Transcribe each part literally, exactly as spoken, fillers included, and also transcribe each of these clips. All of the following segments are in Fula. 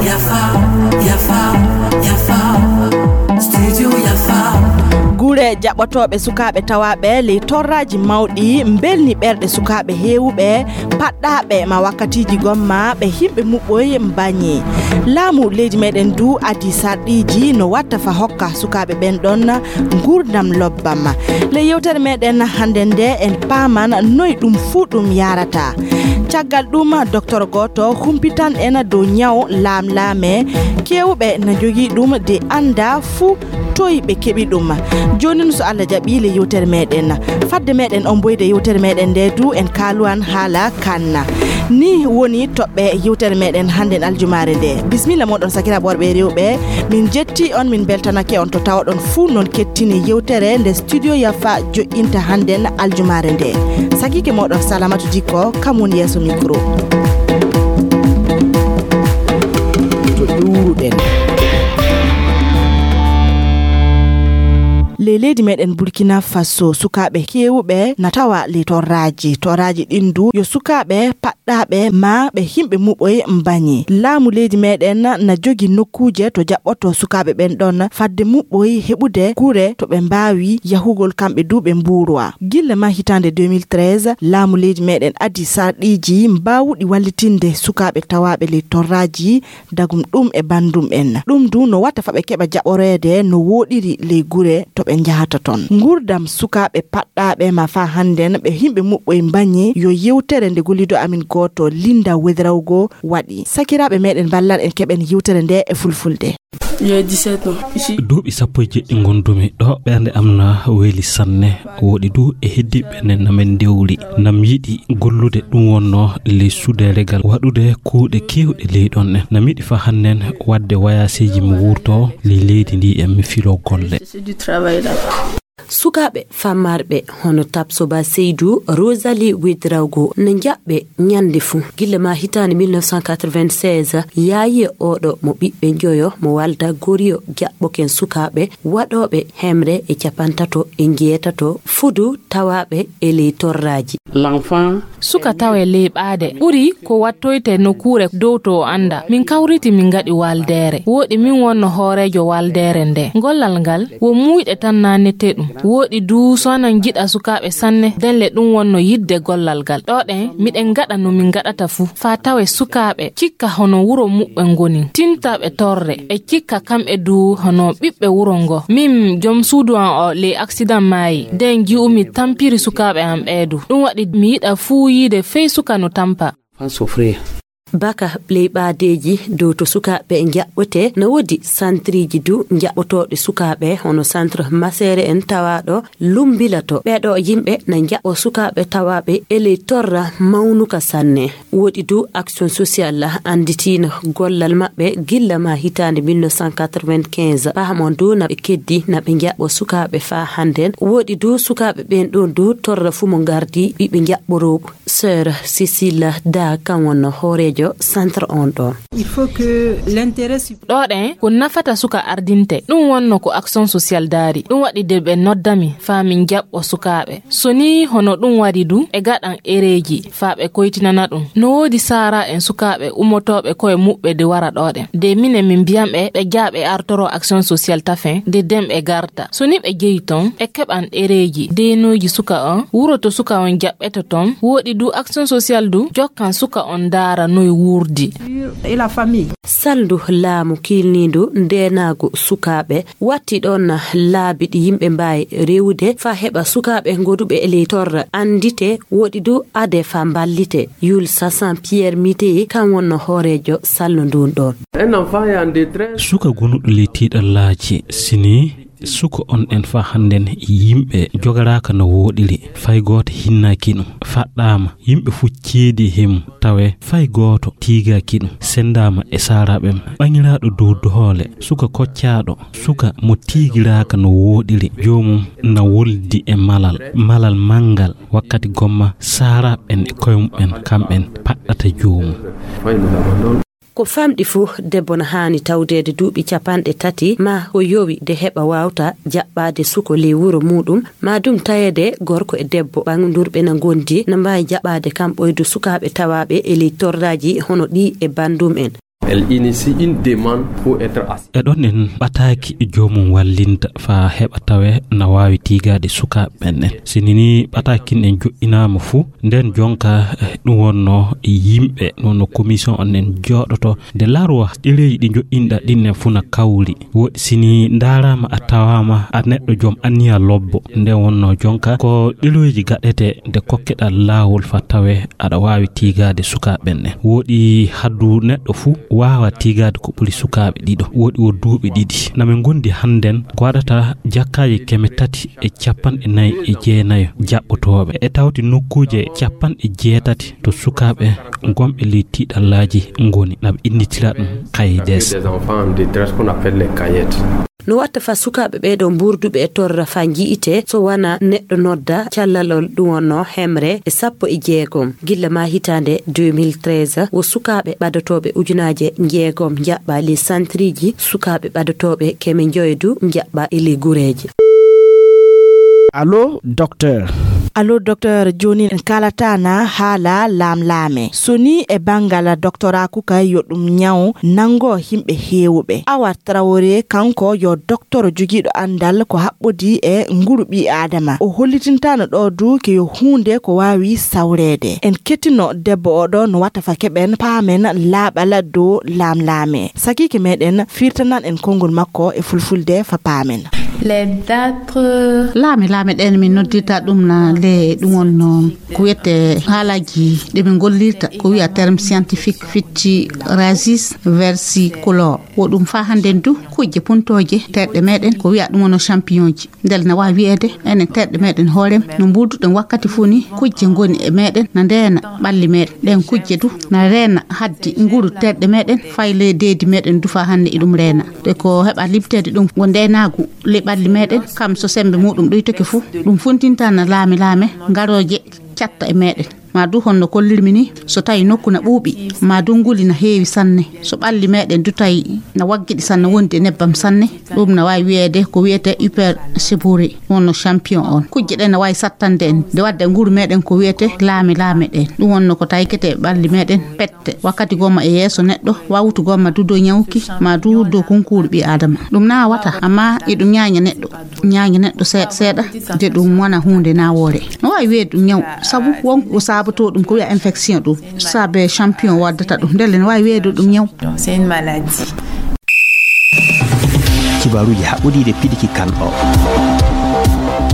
Yafa, yafa, yafa. Studio yafa. Gure jaɓotooɓe sukaaɓe tawaaɓe ley torraaji mawɗi mbelni ɓerɗe sukaaɓe heewuɓe, paɗɗaaɓe ma wakkatiiji gomma ɓe himɓe muɓɓoy mbañi. Laamu leydi meɗen du adii sarɗiiji no watta fa hokka sukaaɓe ɓen ɗon nguurndam lobbam. Ley yewtere meɗen hannde nde en paaman noy ɗum fuu ɗum yaarata. Caggal ɗum, docteur gooto humpitan en dow ñaw laamlaame. Keewuɓe na njogii ɗum de annda fuu toy ɓe keɓi ɗum. Jooni, so Allah jaɓi, le yewtere meɗen. Fadde meɗen omboyde yewtere meɗen nde du, en kaaluwan haala kan. Ni woni toɓɓe yewtere meɗen hannden aljumaare nde. Bismilla moɗon, sakiraaɓe worɓe e rewɓe. Min jetti on, min beltanake on to tawoɗon fuu non kettini yewtere nde Studio Yafa joƴƴinta hannden aljumaare nde. Sakiike moɗon Salamatu Dikko, kam woni yeeso micro. To ƴuuruɗen. Ley leydi meɗen Burkina Faso, sukaaɓe keewuɓe na tawa ley torraaji. Torraaji ɗin du yo sukaaɓe paɗɗaaɓe ma ɓe himɓe muɓɓoy mbañi. Laamu leydi meɗen na jogi nokkuuje to jaɓɓoto sukaaɓe ɓen ɗon fadde muɓɓoy heɓude gure to ɓe mbaawi yahugol kamɓe du ɓe mbuurwa. Gilla ma hitaande deux mille treize, laamu leydi meɗen adii sarɗiiji mbaawuɗi wallitinde sukaaɓe tawaaɓe ley torraaji, dagum ɗum e banndum en. Ɗum du no watta fa ɓe keɓa jaɓoreede no wooɗiri ley gure to ɓe njahata ton. Nguurndam sukaaɓe paɗɗaaɓe ma fa hannden ɓe himɓe muɓɓoy mbañi yo yewtere nde gollido amin gooto Linda Wedrawgo waɗi. Sakiraaɓe meɗen, mballan en keɓen yewtere nde e fulfulde. J'ai dix-sept ans. Ici. Duuɓi sappo e jeɗɗi ngondumi ɗo, ɓernde am na weeli sanne. Wooɗi du e heddiiɓe ne na min ndewri, na mi yiɗi gollude, ɗum wonno ley suuderegal, waɗude kuuɗe keewɗe ley ɗon ɗen. Na mi yiɗi fa hannden waɗde wayaaseeji, mi wuurto ley leydi ndi e mi filo golle. C'est du travail là. Sukaaɓe fammarɓe hono Tapsoba Seydou, Rosalie Ouedraogo na njaɓɓe ñande fuu. Gilla ma hitaande mille neuf cent quatre-vingt-seize, yaayi e oɗo mo ɓiɓɓe njoyo mo Walda Gorio jaɓɓoken sukaaɓe waɗooɓe hemre e capantato e njeetato fudu tawaaɓe e ley torraaji. L'enfant. Suka tawe ley ɓaade ɓuri ko wattoyte nokkuure dow to o annda. Min kawriti min ngaɗi waldeere. Wooɗi min wonno hooreejo waldeere nde. Gollal ngal wo muuyɗe tan naanete ɗum. Wooɗi du so anan jiɗa sukaaɓe sanne, denle ɗum wonno yidde gollal ngal. Ɗo ɗen miɗen ngaɗa no min ngaɗata fuu. Faa tawe sukaaɓe cikka hono wuro muɓɓe ngoni. Tinta ɓe torre. Ɓe cikka kamɓe du hono ɓiɓɓe wuro ngo. Min jom suudu an o ley aksidan maayi. Den ji'umi tampiri sukaaɓe an ɓee du. Ɗum waɗi mi yiɗa fuu yiide fey suka no tampa. Fan souffrir. Baka ley ɓaadeeji dow to sukaaɓe njaɓɓotee, no woodi santriiji du njaɓɓotooɗi sukaaɓe, hono centre Masere en tawaaɗo Lumbilato. Ɓeeɗo yimɓe na njaɓɓo sukaaɓe tawaaɓe e ley torra mawnuka sanne. Woodi du action sociale annditiino gollal maɓɓe gilla ma hitaande mille neuf cent quatre-vingt-quinze. Pahamon du na ɓe keddi na ɓe njaɓɓo sukaaɓe faa hannden. Woodi du sukaaɓe ɓen ɗon du torra fuu mo ngardi ɓiɓɓe njaɓɓorooɓe. Sœur Cécile Da kan wonno hooreejo centre on ɗon. Il faut que l'intérêt sup- Ɗo ɗen ko nafata suka ardinte. Ɗum wonno ko action sociale daari. Ɗum waɗi de ɓe noddami faa min jaɓɓo sukaaɓe. So nii hono ɗum waɗi du, ɓe gaɗan ereeji faa ɓe koytinana ɗum. No woodi saara en sukaaɓe ummotooɓe koye muɓɓe de wara ɗo ɗen. De minen min mbiyan ɓe, ɓe jaa ɓe artoro action sociale tafen, de den ɓe garta. So ni ɓe jeyi ton, ɓe keɓan ɗereeji deenooji suka on, wuro to suka on jaɓɓeto ton, wooɗi du action sociale du jokkan suka on ndaara noy wuurdi. Et la famille. Salndu laamu kiilniindu ndeenaagu sukaaɓe watti ɗon laabi ɗi yimɓe mbaawi rewude faa heɓa sukaaɓe ngoduɓe e ley torra anndite, wooɗi du ade faa mballite. Yul Sasan Pierre Miteye kan wonno hooreejo salndu ndun ɗon. Suka gonuɗo ley tiiɗallaaji, sini suka on en faa hannden yimɓe jogaraaka no wooɗiri, fay gooto hinnaaki ɗum, faɗɗaama, yimɓe fof ceedi he mum, tawe fay gooto tiigaaki ɗum, senndaama e saaraaɓe mum. Ɓaŋiraaɗo dow doole, suka koccaaɗo, suka mo tiigiraaka no wooɗiri, joomum na woldi e malal, malal manngal, wakkati gomma saaraaɓe ɓen e koye mum ɓen, kamɓe paɗɗata joomum. Ko famɗi fuu, debbo na haani tawdeede duuɓi capanɗe tati, maa ko yowi de heɓa waawta jaɓɓaade suko ley wuro muuɗum, maa ɗum taweede gorko e debbo ɓangdurɓe na ngondi, na mbaawi jaɓɓaade kam ɓoydu sukaaɓe tawaaɓe e ley torraaji hono ɗii e banndum en. Elle initie une demande pour être assistée. E ɗon en ɓataaki joomum wallinta faa heɓa tawe na waawi tiigaade sukaaɓe ɓen en. Si nii ɓataakin en joɗɗinaama fuu, nden jonka, eh, ɗum wonno yimɓe, ɗum wonno commission on en jooɗoto. Nde larwa ɗereeji ɗi joɗɗinɗa ɗin en fuu na kawri. Woɗi si nii ndaaraama a tawaama a neɗɗo joom anniya lobbo. Nden wonno jonka ko ɗereeji gaɗete nde kokkeɗa laawol faa tawe aɗa waawi tiigaade sukaaɓe ɓen en. Woɗi haddu neɗɗo fuu waawa tiigaade ko ɓuri sukaaɓe ɗiɗo. Woɗi o duuɓi ɗiɗi. Na min ngondi hannden ko waɗata jakkaaji keme tati e capanɗe nayi e jeenayo jaɓɓotooɓe. E tawti nokkuuje capanɗe jeetati to sukaaɓe gonɓe ley tiiɗallaaji ngoni. Na ɓe innditira ɗum kaydes. Des enfants en détresse qu'on appelle les caillettes. No watta faa sukaaɓe ɓee ɗoo mbuurduɓe e torra faa nji'itee so wanaa neɗɗo nodda callalol ɗum wonno hemre e sappo e jeegom. Gilla maa hitaande deux mille treize, wo sukaaɓe ɓadotooɓe ujunaaje jeegom njaɓɓaa ley santriiji, sukaaɓe ɓadotooɓe keme njoyo du njaɓɓaa e ley gureeje. Allo, docteur. Allo, docteur, jooni en kaalata na haala laamlaame. So nii e banngal doktoraaku ka yo ɗum ñaw nanngo yimɓe heewuɓe. Awa Traoré, kanko yo doktoro jogiiɗo anndal ko haɓɓodii e nguru ɓii Aadama. O hollitintaano ɗoo du ke yo huunde ko waawi sawreede. En kettino debbo oo ɗoo no watta faa keɓen paamen laaɓal dow laamlaame. Sakiike meɗen firtanan en konngol makko e fulfulde faa paamen. Les dates. Laame, laame ɗen min noddirta ɗum na le ɗum wonno ko wiyete haalaaji ɗi min gollirta, ko wiya terme scientifique fitti raisis versicolor. Wo ɗum faa hannden du kujje puntooje terɗe meɗen ko wiya ɗum wonno champignon ji. Ndelle na waawi wiyeede enen terɗe meɗen hoorem no mbuuduɗen wakkati fuu ni kujje ngoni e meɗen na ndeena ɓalli meɗen. Ɗen kujje du na reena haddi nguru terɗe meɗen fay ley deedi meɗen du faa hannde iɗum reena. Te ko heɓa limteede ɗum wo ndeenaagu ley ɓalli meɗen, kam so semmbe muuɗum ɗuytoke fuu, ɗum funtinta na laame laame ngarooje catta e meɗen. Maa du honno kollirmi ni, so tawi nokku na ɓuuɓi, maa du nguli na heewi sanne, so ɓalli meɗen du tawi na waggiɗi sanne wondi e nebbam sanne, ɗum na waawi wiyeede ko wiyete hyperchibourie, wonno champignon on. Kujje ɗen na waawi sattande en, nde wadde nguru meɗen ko wiyete laame laame ɗen. Ɗum wonno ko taykete e ɓalli meɗen pette, wakkati gomma e yeeso neɗɗo, wawtu gomma du dow ñawki, maa du dow kunkuuru ɓii Aadama. Ɗum na wata, amma iɗum ñaaña neɗɗo. Ñaaña neɗɗo seeɗa seeɗa, de ɗum wona huunde nawoore. No waawi wiyeede ɗum ñaw, sabu won ko saabotoo ɗum, ko wiya infection ɗum. Saabe champignon waddata ɗum, ndelle no waawi wiyeede ɗum ñaw. Donc, c'est une maladie. Kibaaruuji haɓɓodiiɗe piɗiki kan o.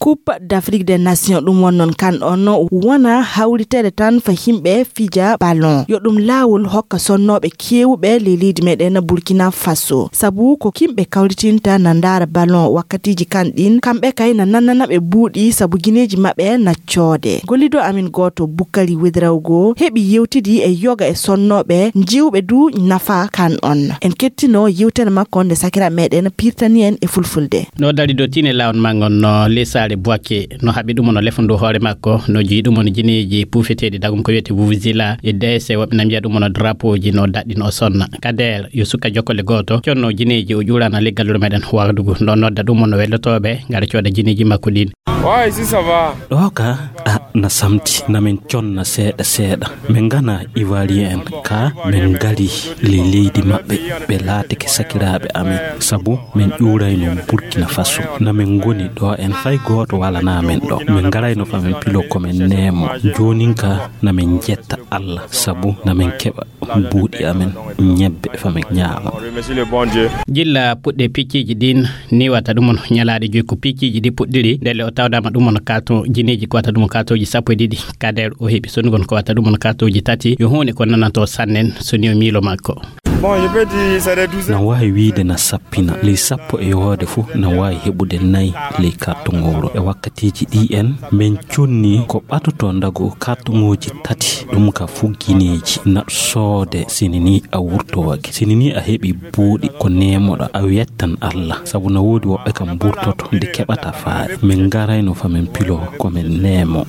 Coupe d'Afrique des Nations, ɗum won noon kan on wona hawriteede tan fa yimɓe fija ballon. Yo ɗum laawol hokka sonnooɓe keewuɓe ley leydi meɗen Burkina Faso. Sabu ko yimɓe kawritinta na ndaara ballon wakkatiiji kan ɗin, kamɓe kay na nannana ɓe buuɗi sabu gineeji maɓɓe na coode. Gollido amin gooto Bukari Wedrawgo heɓi yewtidi e yoga e sonnooɓe njiwɓe du nafa kan on. En kettino yewtere makko nde sakira meɗen pirtani en e fulfulde. No dari do tine lawon mangon no lesare buwake no haɓi ɗum no lefundu hoore makko no jii ɗum no jineeji puufeteeɗi dagum ko wiyete vuvuzela e dese woɓɓe na mbiya ɗum no drapeau ji no daɗɗi no sonna. Kader yo suka jokkole gooto conno jineeji o ƴuurana leggal wuro meɗen wagdugu no nodda ɗum no wellotooɓe ngara cooda jineeji makko ɗin. Ouais, ici ça va. Ɗo ka a na samti na min conna seeɗa seeɗa. Min ngana Ivoirien en ka min ngari le leydi maɓɓe, ɓe laatike sakiraaɓe amin sabu min ƴuurayno Burkina Faso. Na min ngoni ɗo en fay gooto walana min ɗo. Min ngarayno fa min pilo ko min neemo. Joonin ka na min jetta Allah sabu na min keɓa buuɗi amen ñebbe fa min ñaama. Jilla puɗɗe picciiji ɗin ni wata ɗum on ñalaaɗe joyi ko picciiji ɗi puɗɗiri ndelle o tawdama ɗum on kato jineeji ko wata ɗum on katoji sappo e ɗiɗi. Kader o heɓi sonugol ko wata ɗum on katoji tati yo huunde ko nanato sannen so ni o miilo makko. Na waawi wiide na sappina ley sappo e yowoode fof na waawi heɓude nayi ley kartugowro e wakkatiiji ɗi en min conni ko ɓatoto ndago kartugooji tati ɗum ka fuu gineeji naɗo soode sini ni a wurtowake sini ni a heɓi buuɗi ko neemoɗa a wiyattan Allah sabu na woodi woɓɓe kam mburtoto nde keɓata faare min ngarayno fa min pilo ko min neemo.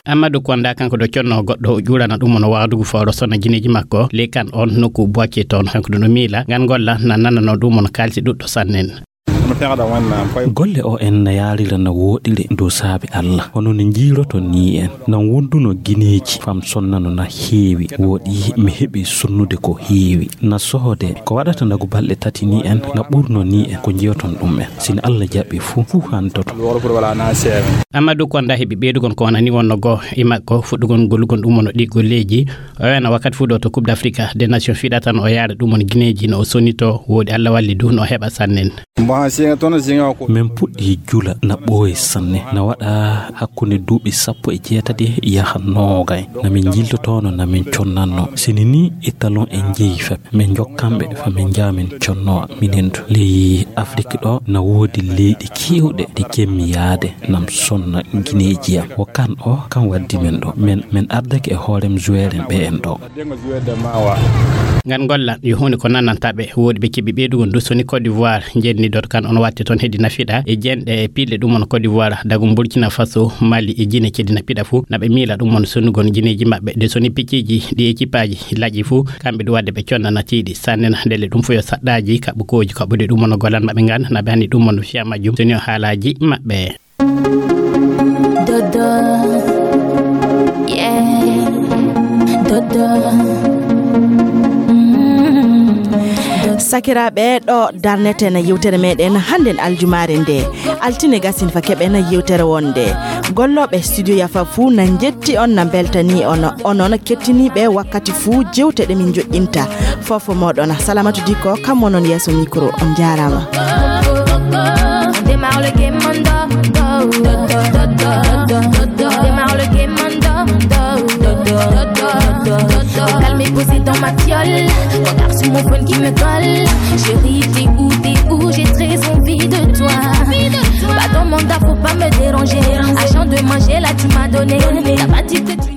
Amadou Konda, kanko ɗo conno goɗɗo, o ƴuurana ɗum on waadugu fawro sonna gineeji makko. Ley kan on nokku Boaké toon, kanko ɗum ɗo miila ngan golla na nanano ɗum on kaalisi ɗuɗɗo sannen. Golle O N na yaarira na wooɗire dow saabe Allah. Hono no njiiroton nii en. Nan wonduno gineeji fam sonnano na heewi. Wooɗi mi heɓi sunnude ko heewi. Na sohode ko waɗata ndagu balɗe tati nii en, na ɓurno nii en ko njiyoton ɗum en. Sini Allah jaɓi fuu, fuu hantoto. Amadou Konda heɓi ɓeydugon ko wonani wonno goo e makko fuɗɗugon gollugon ɗum on ɗi golleeji. O wena wakkati fuu ɗo to Coupe d'Afrique des Nations fiɗata no o yaara ɗum on gineeji no o sonito. Wooɗi Allah walli du no o heɓa sannen. Min puɗɗi jula na ɓooyi sanne, na waɗa hakkunde duuɓi sappo e jeetati yaha noogay. Na min jiltotoono, na min connanno. Sini ni e talon e njeyi fep, min jokkanɓe fa min njaha min connowa minen du. Ley Afrik ɗo na woodi leyɗi keewɗe ɗe kemmi yaade nam sonna gineeji am. Wo kan o, kan waddi min ɗo. Min, min ardake e hoorem joueur en ɓe en ɗo. Ngan golla yo huunde ko nananta ɓe. Wooɗi ɓe keɓi ɓeydugon du soni Côte d'Ivoire jenni dot kan on watti toon heedi nafiɗa e jenɗe e piɗle ɗum on Côte d'Ivoire, dagu Burkina Faso, Mali e Guinée cedi nafiɗa fuu. Na ɓe miila ɗum on sonnugon gineeji maɓɓe de soni picciiji ɗi ekipaaji laƴi fuu. Kamɓe ɗum wadde ɓe conna natiiɗi sannen ndelle ɗum fuu yo saɗɗaaji kaɓɓukooji kaɓɓude ɗum on golan maɓɓe ngan na ɓe anni ɗum on fiya majjum soni o haalaaji maɓɓe. Dodo. Yeah. Dodo. Mm. Dodo. Sakiraaɓe, ɗo darneten yewtere meɗen hannden aljumaare nde. Altine gasin fa keɓen yewtere wonde. Gollooɓe studio Yafa fuu na njetti on, na mbeltanii on. Onon kettiniiɓe wakkati fuu jewte ɗe min joƴƴinta. Fofo moɗon, Salamatu Dikko, kam monon yeeso micro. On jaaraama. On démarre le game on do, do, do. On démarre le game on do, do, do. Au calme et posé dans ma fiole. Regarde sur mon phone qui me colle. Chérie, t'es où, t'es où? J'ai très envie de toi. Pas dans mon dard, faut pas me déranger. Argent de manger, là, tu m'as donné. T'as pas dit que tu